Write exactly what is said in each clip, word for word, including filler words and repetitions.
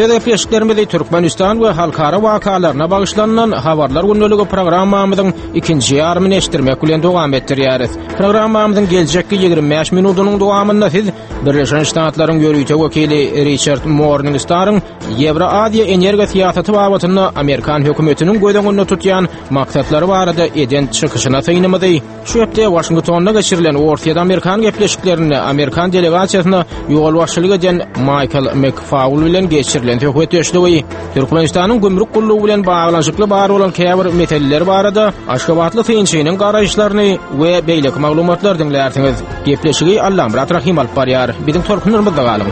öz gepleşiklerimizi Türkmenistan we halkara wakalaryna bagyşlanylan Habarlar gündeligi programmamyzyň ikinji ýarymyny eşitdirmek bilen dowam etdirýäris. Programmamyzyň geljekki ýigrimi bäş minudynyň dowamynda siz Birleşen Ştatlaryň ýörite wekili Riçard Morningstaryň Ýewroaziýa energiýa syýasaty babatynda Amerikan hökümetiniň göz öňünde tutýan maksatlary barada eden çykyşyna synymyzy, şu hepde Waşingtonda geçirilen Orsýet-Amerikan gepleşiklerinde Amerikan delegasiýasyna ýolbaşçylyk eden Maýkl McFaul bilen geçirilen söhbetdeşligi, Türkmenistanyň gümrük gullugy bilen baglanyşykly bar bolan käbir meseleler barada Aşgabatly synçynyň garaýyşlaryny we beýleki maglumatlary diňlärsiňiz. Gepleşigi Allamyrat Rahym alyp barýar. Biziň tolkunlarymyzda galyň.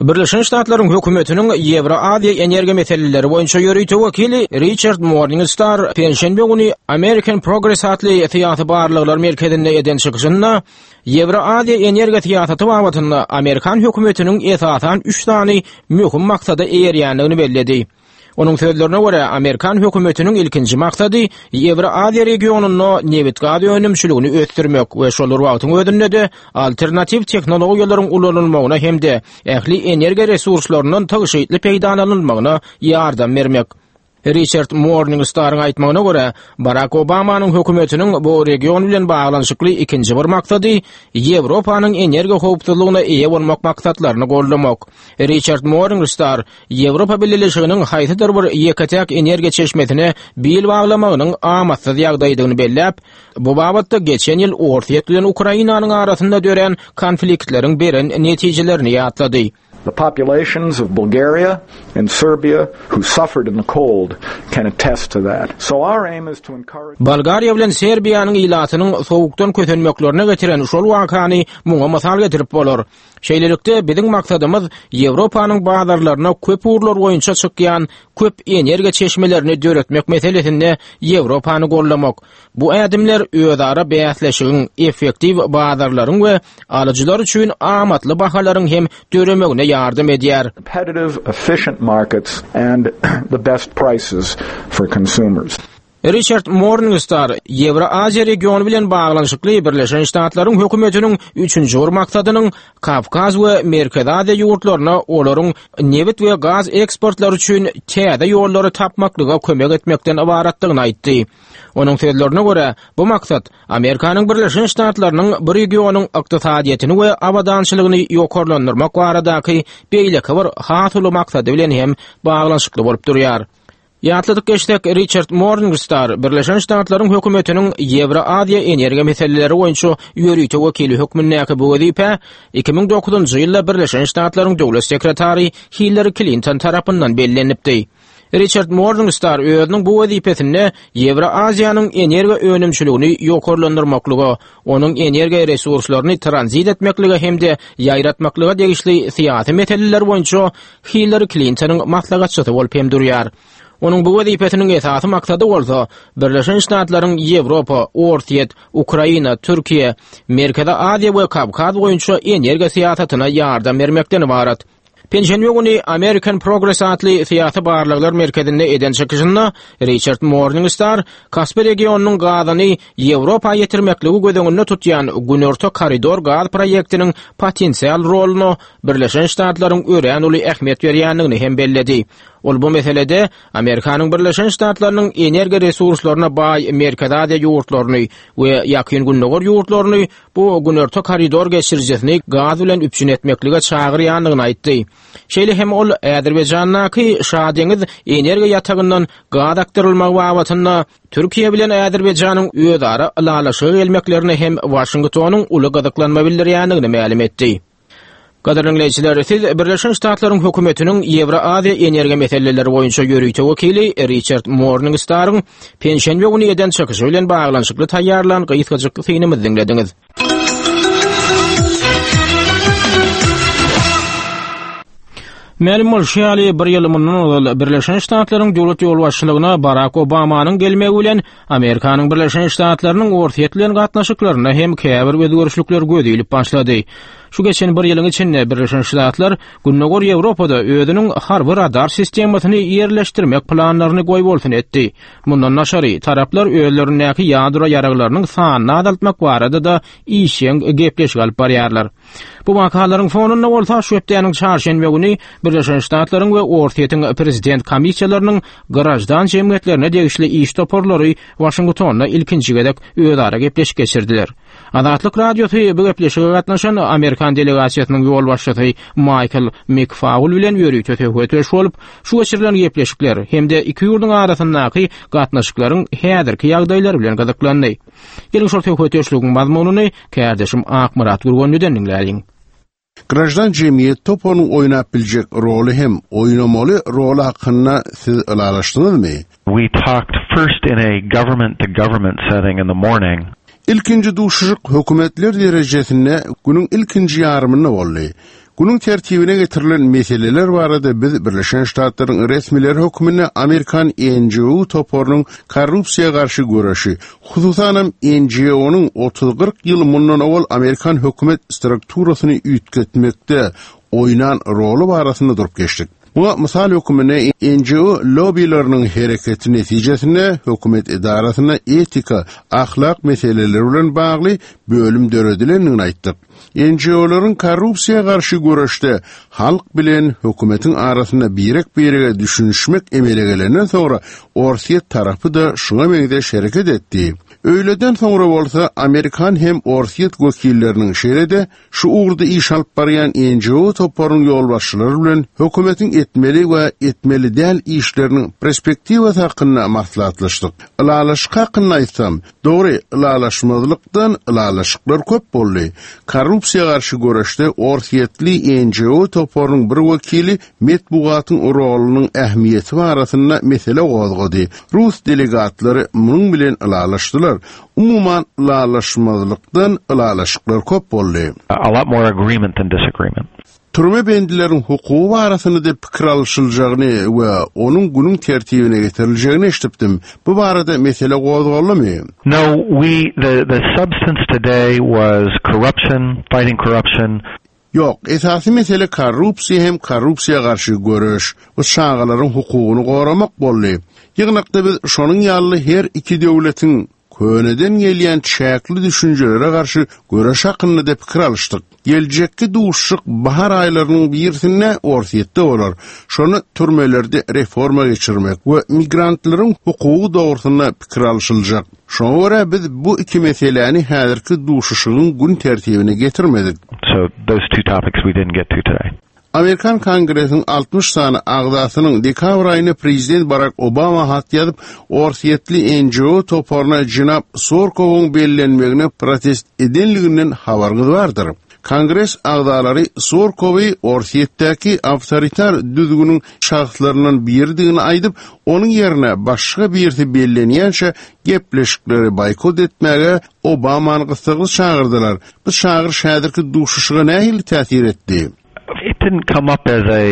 Birleşen Ştatlaryň hökümetiniň Ýewroaziýa energiýa meseleleri boýunça ýörite wekili Riçard Morningstar penşenbe güni American Progress atly syýasy barlaglar merkezinde eden çykyşynda Ýewroaziýa energiýa syýasaty babatynda Amerikan hökümetiniň esasan üç sany möhüm maksada eýerýändigini belledi. Onuň sözlerine görä, Amerikan hökümetiniň ilkinji maksady Ýewroaziýa regionynda nebit-gaz önümçiligini ösdürmek we şol bir wagtyň özünde-de alternatiw tehnologiýalaryň ulanylmagyna hem-de ähli energiýa resurslaryndan tygşytly peýdalanylmagyna ýardam bermek. Riçard Morningstaryň aýtmagyna görä, Barak Obamanyň hökümetiniň bu region bilen baglanyşykly ikinji bir maksady Ýewropanyň energiýa howpsuzlygyna eýe bolmak maksatlaryny goldamak. Riçard Morningstar Ýewropa Bileleşiginiň haýsydyr bir ýeke-täk energiýa çeşmesine bil baglamagynyň amatsyz ýagdaýdygyny belläp, bu babatda geçen ýyl Orsýet bilen Ukrainanyň arasynda dörän konfliktleriň beren netijelerini ýatlady. The populations of Bulgaria and Serbia who suffered in the cold can attest to that. So our aim is to encourage Bolgariýa bilen Serbiýanyň ilatynyň sowukdan kösenmeklerine getiren şol wakany muňa mysal getirip bolar. Şeýlelikde, biziň maksadymyz Ýewropanyň bazarlaryna köp ugurlar boýunça çykýan köp energiýa çeşmelerini döretmek meselesinde Ýewropany goldamak. Bu ädimler özara bäsleşigiň, effektiw bazarlaryň we alyjylar üçin amatly bahalaryň hem döremegine ýardam edýär. Competitive, efficient markets and the best prices for consumers. Riçard Morningstar Ýewroaziýa regiony bilen baglanyşykly Birleşen Ştatlaryň hökümetiniň üçünji bir maksadynyň Kawkaz we Merkezi Aziýa ýurtlaryna olaryň nebit we gaz eksportlary üçin täze ýollary tapmaklyga kömek etmekden ybaratdygyny aýtdy. Onuň sözlerine görä, bu maksat Amerikanyň Birleşen Ştatlarynyň bu regionyň ykdysadyýetini we abadançylygyny ýokarlandyrmak baradaky beýleki bir has uly maksady bilen hem baglanyşykly bolup durýar. Ýatladyk geçsek, Riçard Morningstar Birleşen Ştatlaryň hökümetiniň Ýewroaziýa energiýa meseleleri boýunça ýörite wekili hökmündäki bu wezipä iki müň dokuzynjy ýylda Birleşen Ştatlaryň döwlet sekretary Hillari Klinton tarapyndan bellenipdi. Riçard Morningstar özüniň bu wezipesinde Ýewroaziýanyň energiýa önümçiligini ýokarlandyrmaklyga, onuň energiýa resurslaryny tranzit etmeklige hem-de ýaýratmaklyga degişli syýasy meseleler boýunça Hillari Klintonyň maslahatçysy bolup hem durýar. Onuň bu wezipesiniň esasy maksady bolsa, Birleşen Ştatlaryň Ýewropa, Orsýet, Ukraina, Türkiýe, Merkezi Aziýa we Kawkaz boýunça energiýa syýasatyna ýardam bermekden ybarat. Penşenbe güni American Progress atly syýasy barlaglar merkezinde eden çykyşynda Riçard Morningstar Kaspi regionynyň gazyny Ýewropa ýetirmekligi göz öňünde tutýan Günorta koridor gaz proýektiniň potensial roluna Birleşen Ştatlaryň örän uly ähmiýet berýändigini hem belledi. Ol bu meselede Amerikanyň Birleşen Ştatlarynyň energiýa resurslaryna baý Merkezi Aziýa ýurtlaryny we Ýakyn Gündogar ýurtlaryny bu Günorta koridor geçirijisini gaz bilen üpjün etmeklige çagyrýandygyny aýtdy. Şeýle hem ol Azerbaýjandaky Şadeňiz energiýa ýatagyndan gaz akdyrylmagy babatynda Türkiýe bilen Azerbaýjanyň özara ylalaşyga gelmeklerine hem Waşingtonyň uly gyzyklanma bildirýändigini mälim etdi. Gadyrly diňleýjiler, siz Birleşen Ştatlaryň hökümetiniň Ýewroaziýa energiýa meseleleri boýunça ýörite wekili Riçard Morningstaryň penşenbe güni eden çykyşy bilen baglanyşykly taýýarlan gysgajyk synymyzy diňlediňiz. Mälim bolşy ýaly, bir ýyl mundan ozal Birleşen Ştatlaryň döwlet ýolbaşçylygyna Barak Obamanyň gelmegi bilen Amerikanyň Birleşen Ştatlarynyň Orsýet bilen gatnaşyklarynda hem käbir özgerişlikler göz ilip başlady. Şu geçen bir ýylyň içinde Birleşen Ştatlar Gündogar Ýewropada özüniň harby radar sistemasyny ýerleşdirmek planlaryny goýbolsun etdi. Mundan daşary taraplar özlerindäki ýadro ýaraglarynyň sanyny azaltmak barada da işjeň gepleşik alyp barýarlar. Bu wakalaryň fonunda bolsa şu hepdäniň çarşenbe güni Birleşen Ştatlaryň we Orsýetiň prezident komissiýalarynyň graždan jemgyýetlerine degişli iş toparlary Waşingtonda ilkinji gezek özara gepleşik geçirdiler. Azatlyk Radiosy bu gepleşige gatnaşan Amerikan delegasiýasynyň ýolbaşçysy Michael McFaul bilen ýörite söhbetdeş bolup, şu geçirilen gepleşikler hem-de iki ýurduň arasyndaky gatnaşyklaryň häzirki ýagdaýlary bilen gyzyklandy. Geliň şol söhbetdeşligiň mazmunyny kärdeşim Akmyrat Gürgenliden diňläliň. Graždan jemgyýet toparynyň oýnap biljek roly hem oýnamaly roly hakynda siz ylalaşdyňyzmy? We talked first in a government to government setting in the morning. Ilkinji duşuşyk hökümetler derejesinde günüň ilkinji ýarymynda boldy. Günüň tertibine getirilen meseleler barada biz Birleşen Ştatlaryň resmileri hökmünde Amerikan N G O toparynyň korrupsiýa garşy göreşi, hususanam N G O'nyň otuz kyrk ýyl mundan owal Amerikan hökümet strukturasyny üýtgetmekde oýnan roly barasynda durup geçdik. Muňa mysal hökmünde N G O lobbylarynyň hereketi netijesinde hökümet edarasynda etika, ahlak meseleleri bilen bagly bölüm döredilendigini aýtdyk. N G O'laryň korrupsiýa garşy göreşde halk bilen hökümetiň arasynda birek-birege düşünişmek emele gelenden soňra Orsýet tarapy da şuňa meňzeş hereket etdi. Öýleden soňra bolsa Amerikan hem Orsýet wekilleriniň şeýle-de şu ugurda iş alyp barýan N G O toparynyň ýolbaşçylary bilen hökümetiň etmeli we etmeli däl işleriniň perspektiwasy hakynda maslahatlaşdyk. Ylalaşyk hakynda aýtsam, dogry, ylalaşmazlykdan ylalaşyklar köp boldy. Korrupsiýa garşy göreşde Orsýetli N G O toparynyň bir wekili metbugatyň rolunyň ähmiýeti barasynda mesele gozgady. Rus delegatlary munuň bilen ylalaşdylar. Umuman ylalaşmazlykdan ylalaşyklar köp boldy. A lot more agreement than disagreement. Türme bendileriň hukugy barasynda da pikir alşyljagyny we onuň günüň tertibine getiriljegini eşitdim. Bu barada mesele gozgaldymy? No, we the the substance today was corruption, fighting corruption. Ýok, esasy mesele korrupsiýa hem korrupsiýa garşy göreş we çagalaryň hukugyny goramak boldy. Ýygnakda biz şonuň ýaly her iki döwletiň köneden gelýän çäkli düşünjelere garşy göreş hakynda da pikir alyşdyk. Geljekki duşuşyk bahar aýlarynyň birisinde Orsýetde bolar. Şony türmelerde reforma geçirmek we migrantlaryň hukugy dogrusynda pikir alşyljak. Şoňa görä biz bu iki meseläni häzirki duşuşygyň gün tertibine getirmedik. So those two topics we didn't get to today. Amerikan Kongresiniň altmyş sany agzasynyň dekabr aýynda prezident Barack Obama hat ýazyp, Orsýetli N G O toparyna jenap Surkowyň bellenmegine protest edenliginden habaryňyz bardyr. Kongres agzalary Surkowy Orsýetdäki awtoritar düzgüniň şahslaryndan biridigini aýdyp, onuň ýerine başga birisi bellenýänçä gepleşikleri boýkot etmäge Obamany gyssagly çagyrdylar. Bu çagyryş häzirki duşuşyga nähili täsir etdi? It didn't come up as a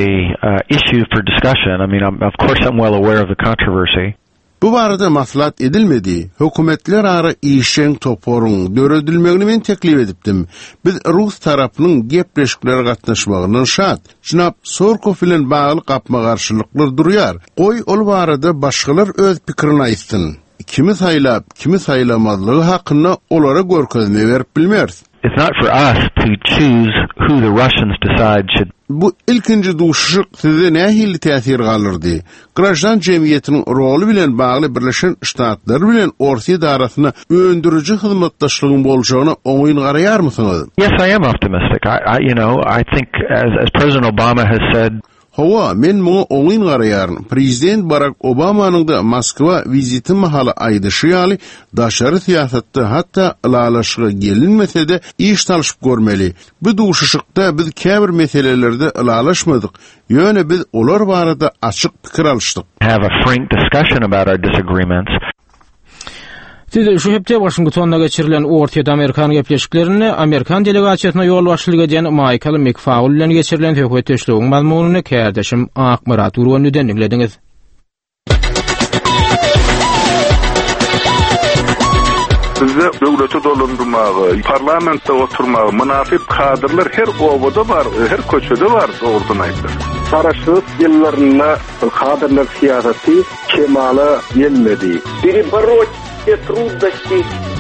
uh, issue for discussion. I mean, I'm, of course, I'm well aware of the controversy. Bu barada maslahat edilmedi. Hökümetler ara işjeň toparyň döredilmegini men teklip edipdim. Biz Rus tarapynyň gepleşiklere gatnaşmagyndan şat. Jenap Surkow bilen bagly gapma-garşylyklar durýar. Goý ol barada başgalar öz pikirini aýtsyn. Kimi saýlap, kimi saýlamazlygy hakynda olara görkezme berip bilmeris. It's not for us to choose who the Russians decide should Bu ilkinji duşuşyk size nähili täsir galdyrdy? Graždan jemgyýetiniň roly bilen bagly Birleşen Ştatlar bilen Orsýet arasynda öndüriji hyzmatdaşlygyň boljagyna oňyn garaýarmysyňyz? Yes, I am optimistic. I, I you know, I think as as President Obama has said, Hawa, men muňa oňyn garaýaryn. Prezident Barack Obamanyň da Moskwa wiziti mahaly aýdyşy ýaly daşary syýasatda hatda ylalaşyga gelinmese-de iş salyşyp görmeli. Bu duşuşykda biz käbir meselelerde ylalaşmadyk. Ýöne biz olar barada açyk pikir alyşdyk. Have a frank discussion about our disagreements. Siz şu hepde Washingtonda geçirilen Orsýet Amerikan gepleşiklerinde Amerikan delegasiýasyna ýolbaşçylyk edýän Michael McFaul bilen geçirilen söhbetdeşligiň mazmunyny kärdeşim Akmyrat Gürgenliden diňlediňiz. Bizde döwleti dolandyrmagy, parlamentde oturmagy mynasyp kadrlar her obada bar, her köçede bar, dogrusyny aýtsak. Garaşsyzlyk ýyllarynda kadrlar syýasaty kemala gelmedi. Перебороть все трудности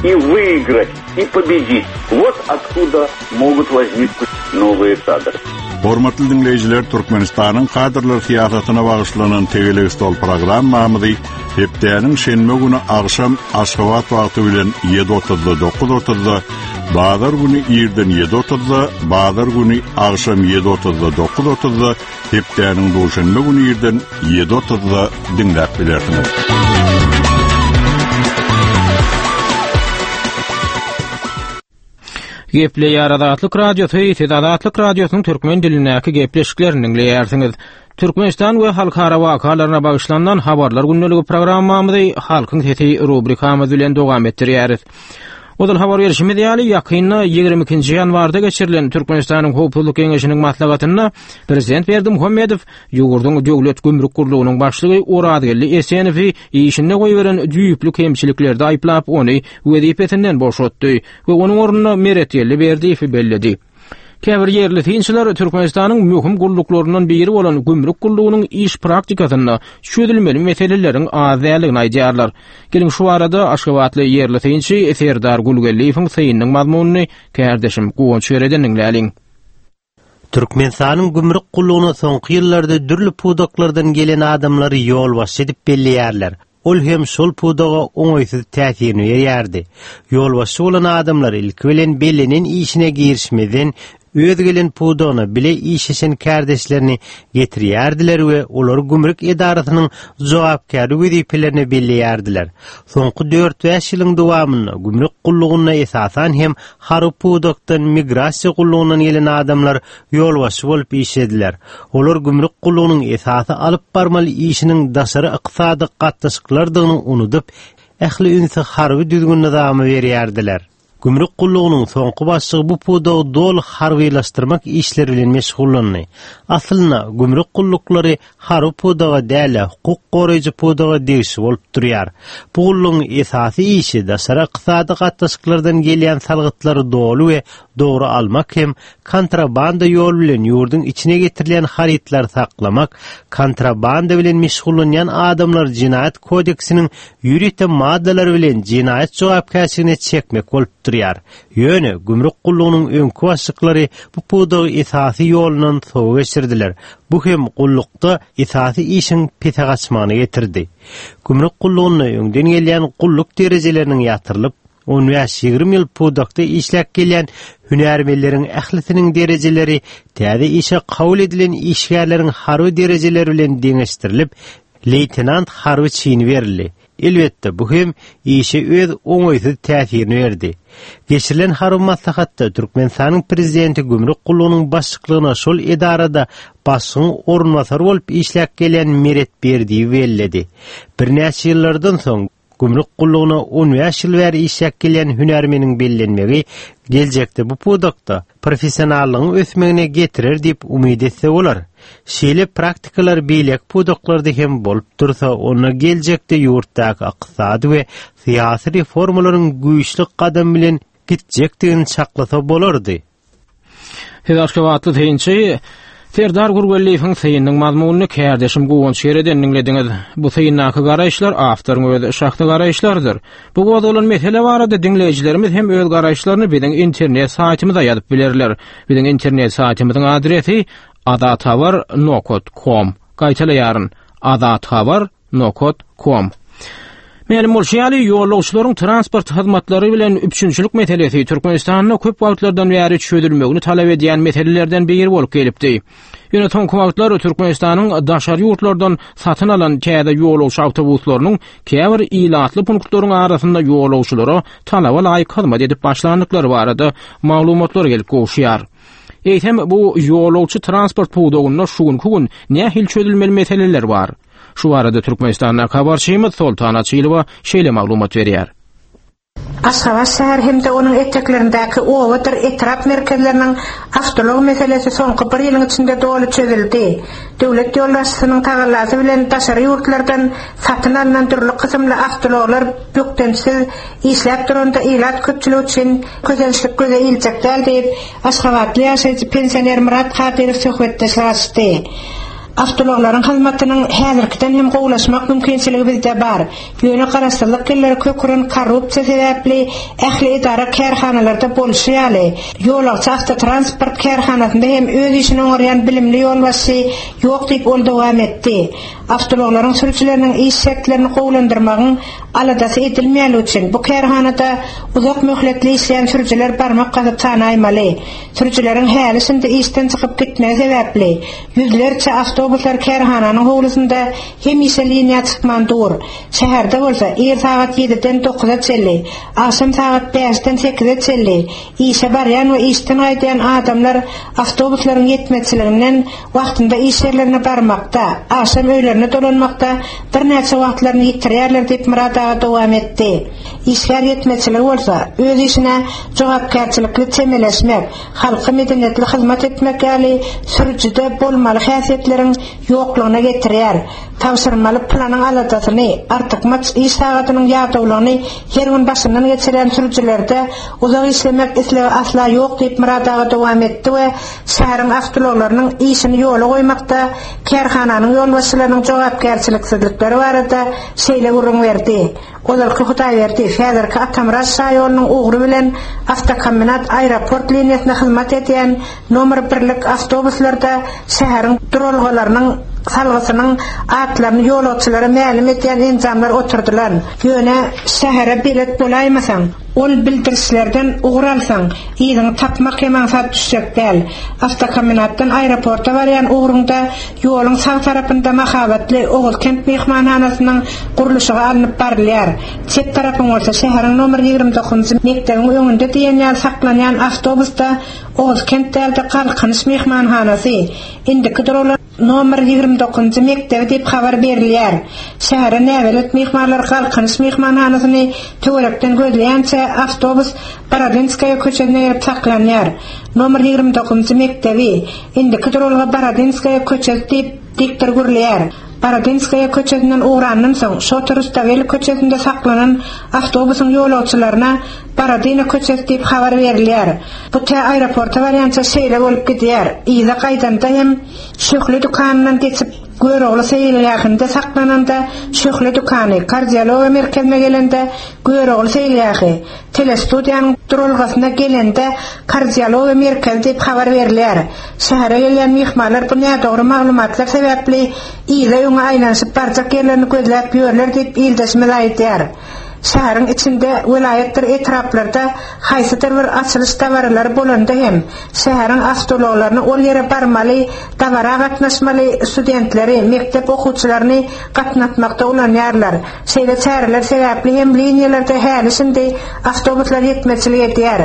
и выиграть, и победить. Вот откуда могут возникнуть новые кадры. Hormatly dinleýjiler, Türkmenistanyň kadrlar syýasatyna bagyşlanan Tegelek stol programmamyzy hepdäniň şenbe güni agşam Aşgabat wagty bilen ýedi otuzda dokuz otuzda, bazar güni irden ýedi otuzda, bazar güni agşam ýedi otuzda dokuz otuzda, hepdäniň duşenbe güni irden ýedi otuzda diňläp bilersiňiz. Gepleýär Azatlyk Radiosy, siz Azatlyk Radiosynyň türkmen dilindäki gepleşiklerini diňleýärsiňiz. Türkmenistan we halkara wakalaryna bagyşlanan habarlar gündeligi programmamyzy Halkyň sesi rubrikamyz bilen dowam etdirýäris. Ozal habar berişimiz ýaly, ýakynda ýigrimi ikinji ýanwarda geçirilen Türkmenistanyň Howpsuzlyk Geňeşiniň maslahatynda Prezident Berdimuhamedow ýurduň döwlet gümrük gurlugynyň başlygy Orazgeldi Esenowy işinde goýberen düýpli kemçiliklerde aýyplap, ony wezipesinden boşatdy we onuň ornuna Meretgeldi Berdiýewi belledi. Käbir ýerli synçylar Türkmenistanyň möhüm gulluklaryndan biri bolan gümrük gullugynyň iş praktikasynda çözülmeli meseleleriň az däldigini aýdýarlar. Geliň şu arada Aşgabatly ýerli synçy Serdar Gulgeldiýewiň synynyň mazmunyny kärdeşim Guwanç Bereden diňläliň. Türkmenistanyň gümrük gullugyna soňky ýyllarda dürli pudaklardan gelen adamlary ýolbaşçy edip belleýärler. Ol hem şol pudaga oňaýsyz täsirini berýärdi. Ýolbaşçy bolan adamlar ilki bilen bellenen işine girişmeden öz gelen pudagyna bile işleşen kärdeşlerini getirýärdiler we olary gümrük edarasynyň jogapkärli wezipelerine belleýärdiler. Soňky dört bäş ýylyň dowamynda gümrük gullugyna esasan hem harby pudakdan migrasiýa gullugyndan gelen adamlar ýolbaşçy bolup işlediler. Olar gümrük gullugynyň esasy alyp barmaly işiniň daşary ykdysady gatnaşyklardygyny unudyp, ähli ünsi harby düzgün nyzamy berýärdiler. Gümrük gullugynyň soňky başlygy bu pudagy doly harbylaşdyrmak işleri bilen meşgullandy. Aslynda gümrük gulluklary harby pudaga däl, hukuk goraýjy pudaga degişli bolup durýar. Bu gullugyň esasy işi daşary ykdysady gatnaşyklardan gelýän salgytlary doly we dogry almak hem kontrabanda ýol bilen ýurduň içine getirilýän harytlary saklamak, kontrabanda bilen meşgullanýan adamlar jinaýat kodeksiniň ýörite maddalary bilen jinaýat jogapkärçiligine çekmek bolup durýar. Ýöne gümrük gullugynyň öňki başlyklary bu pudagy esasy ýolundan sowa geçirdiler. Bu hem gullukda esasy işiň pese gaçmagyna getirdi. Gümrük gullugyna öňden gelýän gulluk derejeleriniň ýatyrylyp, on bäş ýigrimi ýyl pudakda işläp gelýän hünärmenleriň ählisiniň derejeleri täze işe kabul edilen işgärleriň harby derejeleri bilen deňeşdirilip, leýtenant harby çini berildi. Elbetde bu hem işe öz oňaýsyz täsirini berdi. Geçirilen harby maslahatda Türkmenistanyň prezidenti gümrük gullugynyň başlygyna şol edarada başlygyň orunbasary bolup işläp gelýän Meret Berdiýewi belledi. Birnäçe ýyllardan soň gümrük gullugyna on bäş ýyl bäri işläp gelýän hünärmeniň bellenmegi geljekde bu pudakda professionallygyň ösmegine getirer diýip umyt etse bolar. Şeýle praktikalar beýleki pudaklarda hem bolup dursa, onda geljekde ýurtdaky ykdysady we syýasy reformalaryň güýçli gadam bilen gitjekdigini çaklasa bolardy. Siz Aşgabatly synçy Serdar Gurgeldiýewiň synynyň mazmunyny kärdeşim Guwanç Ýereden diňlediňiz. Bu syndaky garaýyşlar awtoryň öz şahsy garaýyşlarydyr. Bu gozgalan mesele barada diňleýjilerimiz hem öz garaýyşlaryny biziň internet saýtymyza ýazyp bilerler. Biziň internet saýtymyzyň adresi azathabar nokta com. Gaýtalaýaryn: azathabar nokta com. Mälim bolşy ýaly, ýolagçylaryň transport hyzmatlary bilen üpjünçilik meselesi Türkmenistanda köp wagtlardan bäri çözülmegini talap edýän meselelerden biri bolup gelipdi. Ýöne soňky wagtlar Türkmenistanyň daşary ýurtlardan satyn alan täze ýolagçy awtobuslarynyň käbir ilatly punktlaryň arasynda ýolagçylara talaba laýyk hyzmat edip başlandyklary barada maglumatlar gelip gowuşýar. Eýsem bu ýolagçy transport pudagynda şu günki gün nähili çözülmeli meseleler bar? Şu arada Türkmenistandan habarçymyz Soltan Açylowa şeýle maglumat berýär. Aşgabat şäheri hem-de onuň eteklerindäki obadyr etrap merkezleriniň awtoulag meselesi soňky bir ýylyň içinde doly çözüldi. Döwlet ýolbaşçysynyň tagallasy bilen daşary ýurtlardan satyn alnan dürli kysymly awtoulaglar bökdençsiz işläp duranda ilat köpçüligi üçin kösençlik göze iljek däl diýip, aşgabatly ýaşaýjy pensioner Myrat Kadyrow söhbetdeşlik açdy. Awtoulaglaryň hyzmatynyň häzirkiden hem gowulaşmak mümkinçiligi bizde bar. Ýöne garaşsyzlyk ýyllary kök uran korrupsiýa sebäpli ähli edara kärhanalarda bolşy ýaly, ýolagçy awtotransport kärhanasynda hem öz işini oňarýan bilimli ýolbaşçy ýok diýip ol dowam etdi. Awtoulaglaryň sürüjileriniň iş şertlerini gowulandyrmagyň aladasy edilmeýänligi üçin bu kärhanada uzak möhletli işleýän sürüjiler barmak gazyp sanaýmaly. Sürüjileriň häli-şindi işden çykyp gitmegi sebäpli ýüzlerçe awtobuslar kärhananyň howlusynda hemişe liniýa çykman dur. Şäherde bolsa ir sagat ýediden dokuza çenli, agşam sagat bäşden sekize çenli işe barýan we işden gaýdýan adamlar awtobuslaryň ýetmezçiliginden wagtynda iş ýerlerine barmakda, agşam öýlerine dolanmakda birnäçe wagtlaryny ýitirýärler diýip Myrat aga dowam etdi. Işgär ýetmezçiligi bolsa öz işine jogapkärçilikli çemeleşmek, halka medeniýetli hyzmat etmek ýaly sürüjide bolmaly häsiýetleriň ýoklugyna getirýär. Tabşyrmaly planyň aladasyny, artykmaç iş sagadynyň ýadawlygyny her gün başyndan geçirýän sürüjilerde uzak işlemek islegi asla ýok diýip Myrat aga dowam etdi we şäheriň awtoulaglarynyň işini ýola goýmakda kärhananyň ýolbaşçylarynyň jogapkärçiliksizlikleri barada şeýle gürrüň berdi. Ozalky Hudaýberdi, häzirki Atamyrat şaýolunyň ugry bilen awtokombinat aeroport liniýasyna hyzmat edýän nomer birlik awtobuslarda şäheriň duralgalarynyň salgysynyň atlaryny ýolagçylara mälim edýän enjamlar oturdylan. Ýöne şähere belet bolaýmasaň, ol bildirişlerden ugur alsaň, yzyňy tapmak hem aňsat düşjek däl. Awtokombinatdan aeroporta barýan ugruňda ýoluň sag tarapynda mahabatly Oguzkent myhmanhanasynyň gurluşygy alnyp barylýar. Çep tarapyň bolsa şäheriň nomer ýigrimi dokuzynjy mekdebiň öňünde diýen ýaly saklanýan awtobusda Oguzkent dälde Galkynyş myhmanhanasy, indiki duralga nomer ýigrimi dokuzynjy mekdebi diýip habar berilýär. Şähere näbelet myhmanlar Galkynyş myhmanhanasyny töwerekden gözleýänçä awtobus Borodinskaýa köçesine gelip saklanýar. Nomer ýigrimi dokuzynjy mekdebi, indiki duralga Borodinskaýa köçesi diýip diktor gürleýär. Borodinskaýa köçesinden ugrandan soň Şota Rustaveli köçesinde saklanan awtobusyň ýolagçylaryna Borodino köçesi diýip habar berilýär. Bu tä aeroporta barýança şeýle bolup gidýär. Yza gaýdanda hem Şöhle dükanyndan geçip Görogly seýilgähinde saklananda Şöhle dükany, kardiologiýa merkezine gelende Görogly seýilgähi, telestudiýanyň duralgasyna gelende kardiologiýa merkezi diýip habar berilýär. Şähere gelýän myhmanlar bu nädogry maglumatlar sebäpli yza öňe aýlanyşyp barjak ýerlerini gözläp ýörler diýip ildeşimiz aýdýar. Şäheriň içinde welaýatdyr etraplarda haýsydyr bir açylyş dabaralary bolanda hem şäheriň awtoulaglaryny ol ýere barmaly, dabara gatnaşmaly studentleri, mekdep okuwçylaryny gatnatmakda ulanýarlar. Şeýle çäreler sebäpli hem liniýalarda häli şindi awtobuslar ýetmezçilik edýär.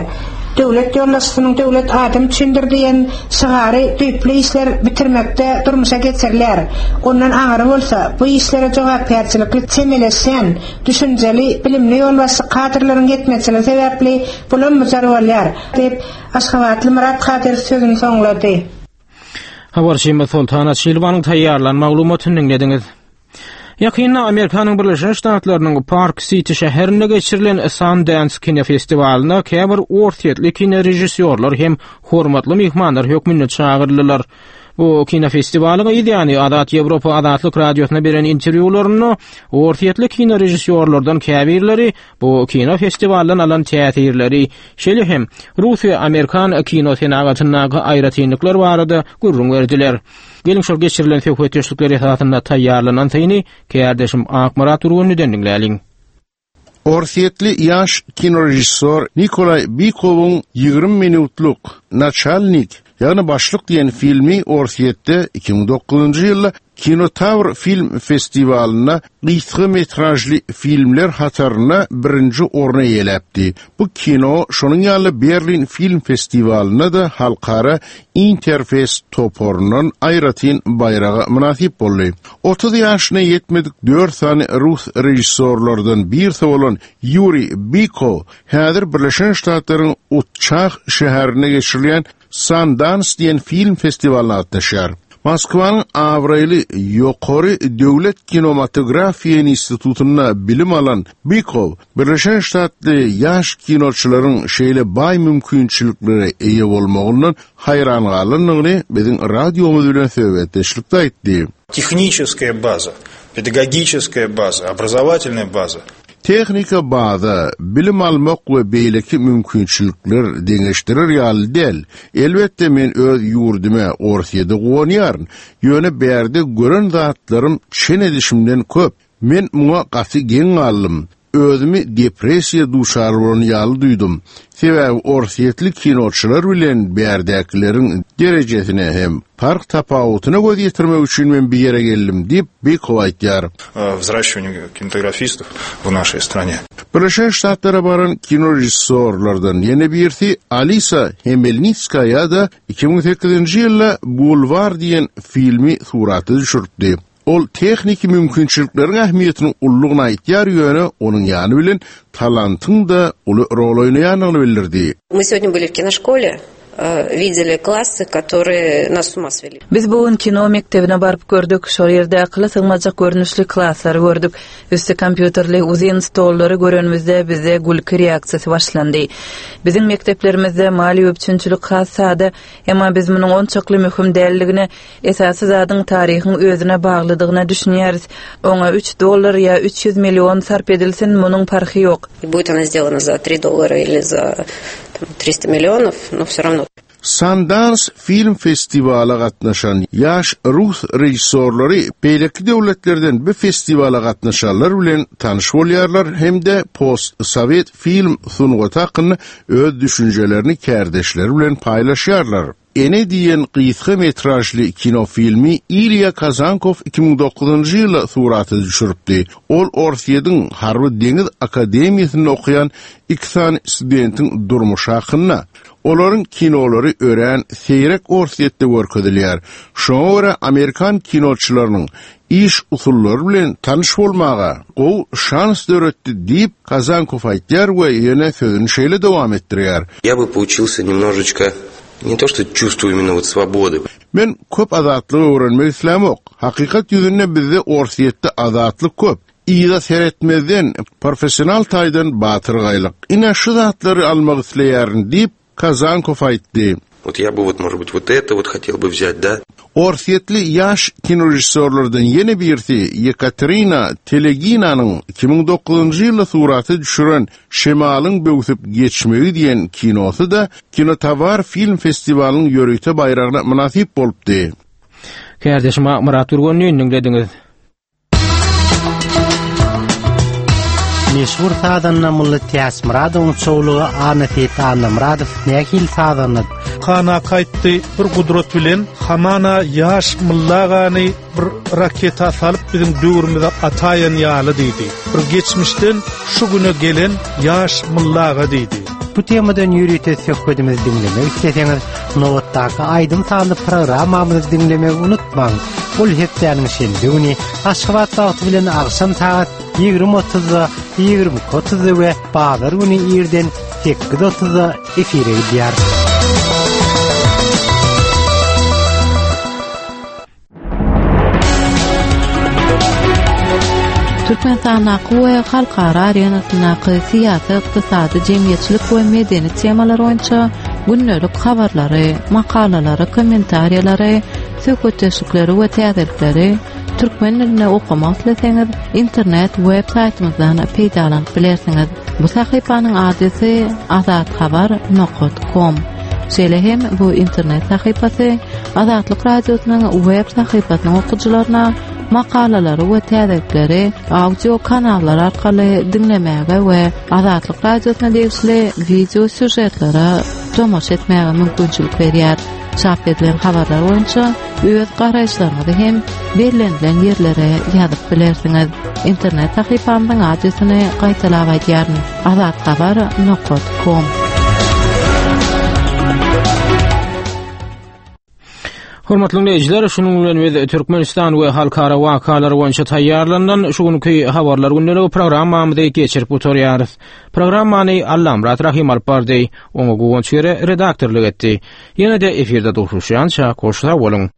Döwlet ýolbaşçysynyň döwlet adam üçindir diýen şygary düýpli işler bitirmekde durmuşa geçirilýär. Ondan aňry bolsa bu işlere jogapkärçilikli çemeleşýän, düşünjeli, bilimli ýolbaşçy kadrlaryň ýetmezçiligi sebäpli bulam-bujar bolýar diýip Aşgabatly Myrat Kadyrow sözüni soňlady. Habarçymyz Soltan Açilowanyň taýýarlan maglumatyny diňlediňiz. Ýakynda Amerikanyň Birleşen Ştatlarynyň Park City şäherinde geçirilen Sundance kinofestiwalyna käbir orsýetli kinorežissýorlar hem hormatly myhmanlar hökmünde çagyryldylar. Bu kinofestiwalyň ýany Azat Ýewropa Azatlyk radiosyna beren interwýularynda orsýetli kinorežissýorlardan käbirleri bu kinofestiwaldan alan täsirleri, şeýle hem Rus we Amerikan kino senagatyndaky aýratynlyklar barada gürrüň berdiler. Gelin şol geçirilen söhbetdeşlikler esasynda taýýarlanan syny kärdeşim Akmyrat Urgunlydan diňläliň. Orsýetli ýaş kinorežissýor Nikolay Bikowyň ýigrimi minutlyk Naçalnik Ýagny Başlyk diýen filmi Orsýetde iki müň dokuzynjy ýylda Kinotawr film festiwalynda gysga metražly filmler hatarynda birinji orny eýeläpdi. Bu kino şonuň ýaly Berlin film festiwalynda da halkara Interfest toparyndan aýratyn baýraga mynasyp boldy. Otuz ýaşyna ýetmedik dört sany rus režissýorlardan birisi bolan Ýuriý Bikow häzir Birleşen Ştatlaryň Utçah şäherinde geçirilýän Sundance diýen film festiwalyna gatnaşýar. Moskwanyň abraýly Ýokary döwlet kinematografiýa institutynda bilim alan Bikow Birleşen Ştatly ýaş kinoçylaryň şeýle baý mümkinçiliklere eýe bolmagyndan haýran galandygyny biziň radiomyz bilen söhbetdeşlikde aýtdy. Техническая baza, pedagogическая baza, образовательная baza. Tehnika baza, bilim almak we beýleki mümkinçilikler deňeşdirer ýaly däl. Elbetde men öz ýurdumy Orsýede guwanýaryn. Ýöne bärde gören zatlarym çen edişimden köp. Men muňa gaty geň galdym. Özümi depressiýa duşar bolan ýaly duýdum. Sebäbi Orsýetli kinoçylar bilen bärdäkileriň derejesine hem park tapawutyna göz ýetirmek üçin men bir ýere geldim diýip Bikow aýtýar. Взращивание кинематографистов в нашей стране. Birleşen Ştatlara baran kinorežissýorlardan ýene birisi Alisa Hemelnitskaya da iki müň sekizinji ýylda Bulvar diýen filmi surata düşürdi. Ol tehniki mümkinçilikleriň ähmiýetini ullugyna aýtýar, ýöne onuň ýany bilen talantyň da uly rol oýnaýandygyny bildirdi. Мы сегодня были в киношколе, видели классы, которые нас с ума свели. Biz bu gün kino mektebine baryp gördük, şol ýerde akyla sygmajak görnüşli klaslary gördük. Üsti kompýuterli uzyn stollary görenimizde bizde gülki reaksiýasy başlandy. Biziň mekteplerimizde maliýe üpjünçilik has sada, emma biz munuň onçakly möhüm däldigine, esasy zadyň taryhyň özüne baglydygyna düşünýäris. Oňa üç dollar ýa üç ýüz million sarp edilsin, munuň parhy ýok. И будет она сделана за три доллара или за там, триста миллионов, но все равно. Sundance film festiwala gatnaşan ýaş rus režissýorlary beýleki döwletlerden bu festiwala gatnaşanlar bilen tanyş bolýarlar hem-de post-sovet film sungaty hakynda öz düşünjelerini kärdeşleri bilen paýlaşýarlar. Ene diýen gysga metražly kino filmi Ilya Kazankow iki müň dokuzynjy ýylda surata düşüripdi. Ol Orsýetiň Harby Deňiz Akademiýasynda okaýan iki sany studentiň durmuşy hakynda. Olaryň kinolary örän seýrek Orsýetde görkezilýär. Şoňa görä Amerikan kinoçylarynyň iş usullary bilen tanyş bolmaga gowy şans döretdi diýip Kazankow aýtýar we ýene sözüni şeýle dowam etdirýär. Я бы поучился немножечко не то что чувствую именно вот свободы. Men köp azatlygy öwrenmek islämok. Hakykat ýüzünde bizde Orsýetde azatlyk köp. Iýda seretmezden professional taýdan batyrgaýlyk. Ine şu zatlary almak isleýärin diýip Kazankow aýtdy. Вот я бы вот, может быть, вот это вот хотел бы взять, да? Orsýetli ýaş kinorežissýorlardan ýene birisi Yekaterina Teleginanyň iki müň dokuzynjy ýylda surata düşüren Şemalyň böwsüp geçmegi diýen kinosy da Kinotovar film festiwalynyň ýörite baýragyna mynasyp bolupdy. Kärdeşim Murat Gürgenni diňlediňiz. Meşhur sazanda Mulla Täçmyradowyň çowlugy Anna Annamyradow nähili sazanda? Kana gaýtdy bir gudrat bilen Hamana ýaş Mullagany bir raketa salyp biziň döwrümize ataýan ýaly diýdi. Bir geçmişden şu güne gelen ýaş Mullaga diýdi. Bu temadan ýörite söhbetimizi diňlemek isleseňiz, nobatdaky aýdym sazly programmamyzy diňlemegi unutmaň. Ol hepdäniň şenbe güni Aşgabat wagty bilen agşam sagat ýigrimi otuzda, ýigrimi iki otuzda we bazar güni irden sekiz otuzda efire gidýär. Türkmenistandaky we halkara arenasyndaky syýasy, ykdysady, jemgyýetçilik we medeni temalar boýunça gündelik habarlary, makalalary, kommentariýalary, söhbetdeşlikleri we täzelikleri türkmen dilinde okamak isleseňiz, internet web saýtymyzdan peýdalanyp bilersiňiz. Bu sahypanyň adresi azathabar nokta com. Şeýle hem bu internet sahypasy Azatlyk Radiosynyň web sahypasynyň okyjylaryna makalalary we täzelikleri audio kanallar arkaly diňlemäge we Azatlyk Radiosyna degişli video sýužetlere tomaşa etmäge mümkinçilik berýär. Çap edilen habarlar boýunça öz garaýyşlaryňyzy hem bellenilen ýerlere ýazyp bilersiňiz. Internet sahypamyzyň adresini gaýtalap aýdýaryn: azathabar nokta com. Hormatly dinleýjiler, şunuň bilen biz Türkmenistan we halkara wakalary boýunça taýýarlanan şu günki habarlar gündeligi programmamyzy geçirip oturýarys. Programmany Allamyrat Rahim alyp bardy, oňa Guwanç Gere redaktorlyk etdi. Ýene-de efirde duşuşýança hoş sag boluň.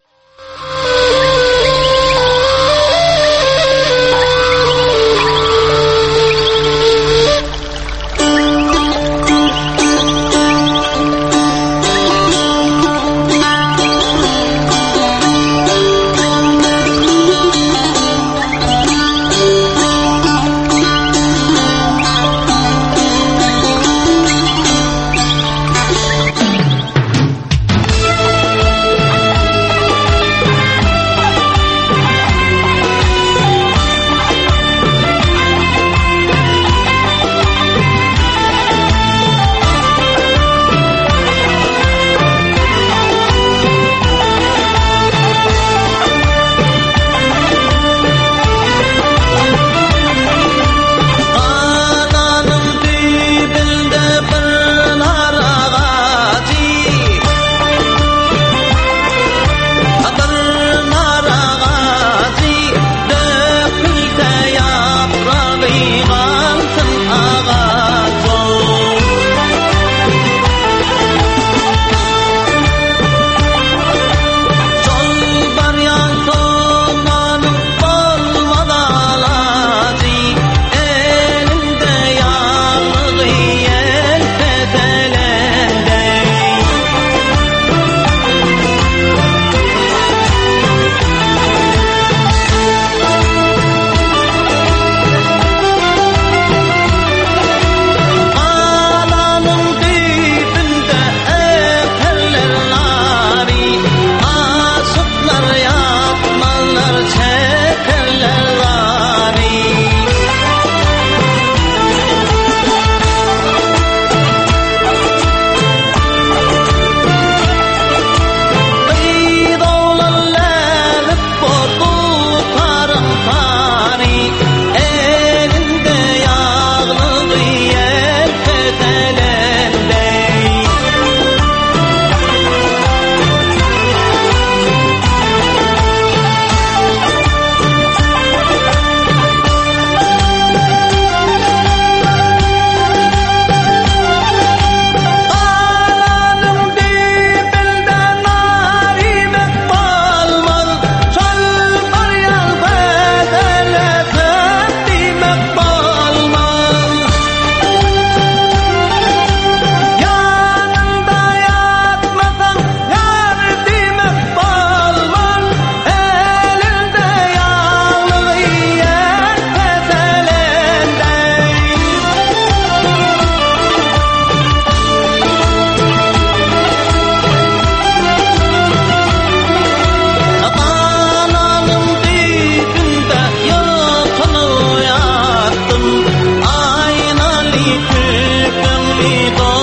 Aynalı tüpümlü.